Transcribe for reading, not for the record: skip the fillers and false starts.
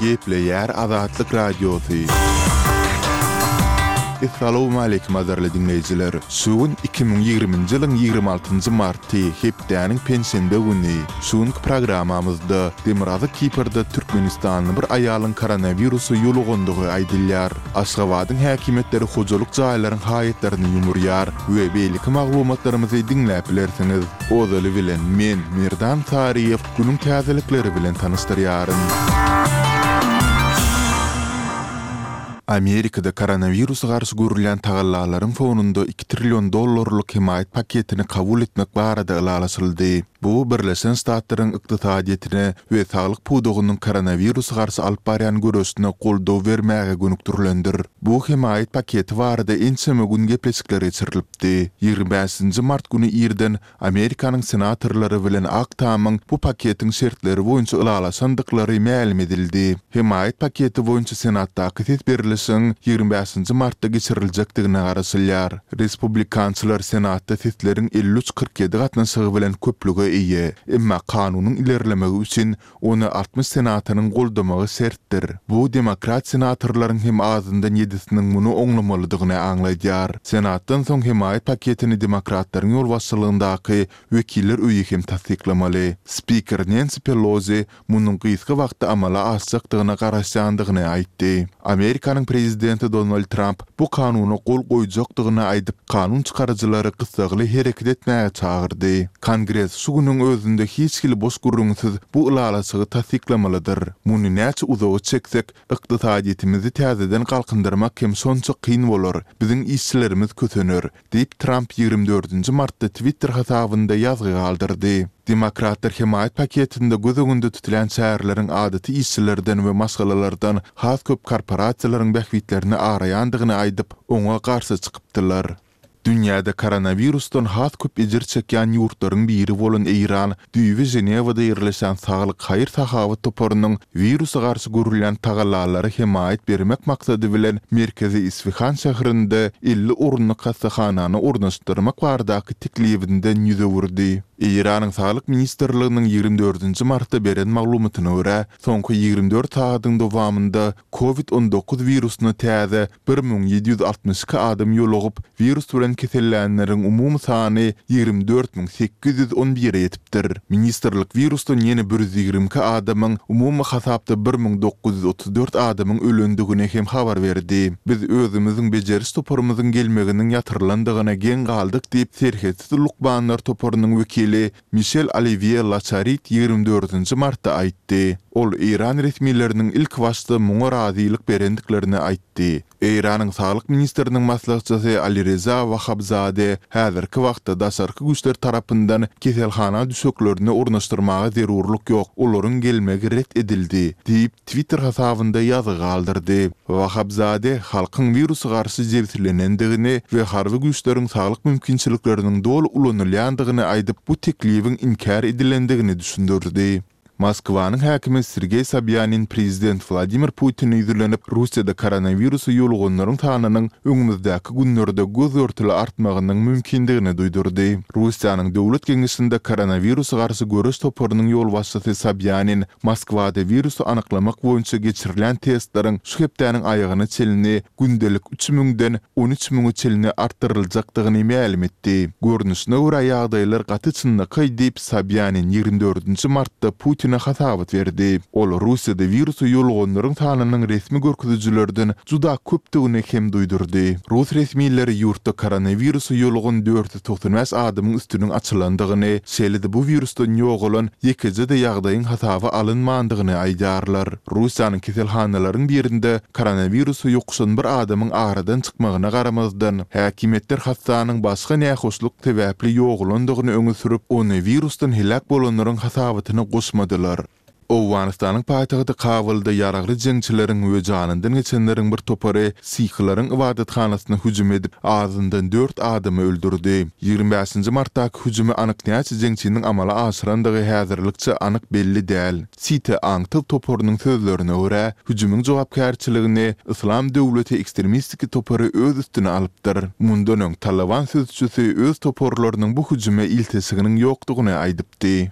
Gepleýär Azatlyk Radiosy. Essalawmaleýkim gadyrly diňleýjiler! Şu gün 2020-nji ýylyň 26-njy marty, hepdäniň penşenbe güni. Şu günki programmamyzda Demirgazyk Kiprde türkmenistanly bir aýalyň koronawirusa ýolugandygy aýdylýar. Aşgabadyň häkimiýetleri hojalyk jaýlaryň haýatlaryny ýumurýar we beýleki maglumatlarymyzy diňläp bilersiňiz. Ozaly bilen men, Merdan Saryýew, günüň täzelikleri bilen tanyşdyrýaryn. Amerikada koronawirusa garşy görülýän tagallalaryň fonunda iki trillion dollarlyk hemaýat paketini kabul etmek barada ylalaşyldy. Bu Birleşen Ştatlaryň ykdysadyýetine we saglyk pudagynyň koronawirusa garşy alyp barýan göreşine goldaw bermäge gönükdirilendir. Bu hemaýat paketi barada ençeme gün gepleşikler geçirilipdi. Ýigrimi bäşinji mart güni irden Amerikanyň senatorlary bilen Ak Tamyň bu paketiň şertleri boýunça ylalaşandyklary mälim edildi. Hemaýat paketi boýunça Senatdaky ses berlişigiň ýigrimi bäşinji martda geçiriljekdigine garaşylýar. Respublikançylar Senatda sesleriň 53, 47 gatnaşygy bilen köplüge eýe, emma kanunyň ilerlemegi üçin ony 60 senatoryň goldamagy şertdir. Bu demokrat senatorlaryň hem azyndan ýedisiniň muny oňlamalydygyny aňladýar. Senatdan soň hemaýat paketini demokratlaryň ýolbaşçylygyndaky Wekiller öýi hem tassyklamaly. Spiker Nensi Pelozi munuň gysga wagtda amala aşjakdygyna garaşýandygyny aýtdy. Amerikanyň prezidenti Donald Tramp bu kanuna gol goýjakdygyny aýdyp, kanun çykaryjylary gyssagly hereket etmäge çagyrdy. Kongres şu günüň özünde hiç hili boş gürrüňsiz bu ylalaşygy tassyklamalydyr. Muny näçe uzaga çeksek, ykdysadyýetimizi täzeden galkyndyrmak hem şonça kyn bolar, biziň işçilerimiz kösener, diýip, Tramp ýigrimi dördünji martda Twitter hasabynda ýazgy galdyrdy. Demokratlar hemaýat paketinde göz öňünde tutulýan çäreleriň adaty işçilerden we maşgalalardan has köp korporasiýalaryň bähbitlerini araýandygyny aýdyp, oňa garşy çykypdylar. Dünýäde koronawirusdan has köp ejir çekýän ýurtlaryň biri bolan Eýran düýbi Ženewada ýerleşýän Saglyk haýyr-sahawat toparynyň wirusa garşy görülýän tagallalara hemaýat bermek maksady bilen merkezi Isfihan şäherinde 50 orunlyk hassahanany ornaşdyrmak baradaky teklibinden ýüz öwürdi. Eýranyň Saglyk ministrliginiň ýigrimi dördünji martda beren maglumatyna görä, soňky 24 sagadyň dowamynda Covid 19 wirusyna täze 1762 adam ýolugyp, wirus bilen kesellänleriň umumy sany 24 811-e ýetipdir. Ministrlik wirusdan ýene 122 adamyň, umumy hasapda 1934 adamyň ölendigini hem habar berdi. Biz özümiziň bejeriş toparymyzyň gelmeginiň ýatyrylandygyna geň galdyk diýip, Serhetsiz lukmanlar toparynyň wekili Mişel Oliwýe Laçarit ýigrimi dördünji martda aýtdy. Ol eýran resmileriniň ilkibaşda muňa razylyk berendiklerini aýtdy. Eýranyň saglyk ministriniň maslahatçysy Alireza Wahabzade häzirki wagtda daşarky güýçler tarapyndan keselhana düşeklerini ornaşdyrmaga zerurlyk ýok, olaryň gelmegi ret edildi, diýip, Twitter hasabynda ýazgy galdyrdy. Wahabzade halkyň wirusa garşy jebislenendigini we harby güýçleriň saglyk mümkinçilikleriniň doly ulanylýandygyny aýdyp, bu teklibiň inkär edilendigini düşündirdi. Moskwanyň häkimi Sergeý Sobýanin prezident Wladimir Putine ýüzlenip, Russiýada koronawirusa ýoluganlaryň sanynyň öňümizdäki günlerde göz-görtele artmagynyň mümkindigini duýdurdy. Russiýanyň Döwlet geňeşinde koronawirusa garşy göreş toparynyň ýolbaşçysy Sobýanin Moskwada wirusy anyklamak boýunça geçirilýän testleriň şu hepdäniň aýagyna çenli gündelik üç müňden 13 müňe çenli artdyryljakdygyny mälim etdi. Görnüşine görä ýagdaýlar gaty çynlakaý diýip, Sobýanin ýigrimi dördünji martda Putine hasabat berdi. Ol Russiýada wirusa ýoluganlaryň sanynyň resmi görkezijilerden juda köpdügini hem duýdurdy. Rus resmileri ýurtda koronawirusa ýolugan 495 adamyň üstüniň açylandygyny, şeýle-de bu wirusdan ýogalan ýekeje-de ýagdaýyň hasaba alynmandygyny aýdýarlar. Russiýanyň keselhanalaryň birinde koronawirusa ýokuşan bir adamyň aradan çykmagyna garamazdan, häkimiýetler hassanyň başga nähoşluk sebäpli ýogalandygyny öňe sürüp, ony wirusdan heläk bolanlaryň hasabatyna goşmadylar. Owganystanyň paýtagty Kabulda ýaragly jeňçileriň we janyndan geçenleriň bir topary sihleriň ybadathanasyna hüjüm edip, azyndan dört adamy öldürdi. Ýigrimi bäşinji martdaky hüjümi anyk näçe jeňçiniň amala aşyrandygy häzirlikçe anyk belli däl. CT aňtaw toparynyň sözlerine görä, hüjümiň jogapkärçiligini Yslam döwleti ekstremistiki topary öz üstüne alypdyr. Mundan öň Talyban sözçüsi öz toparlarynyň bu hüjüme ilteşiginiň ýokdugyny aýdypdy.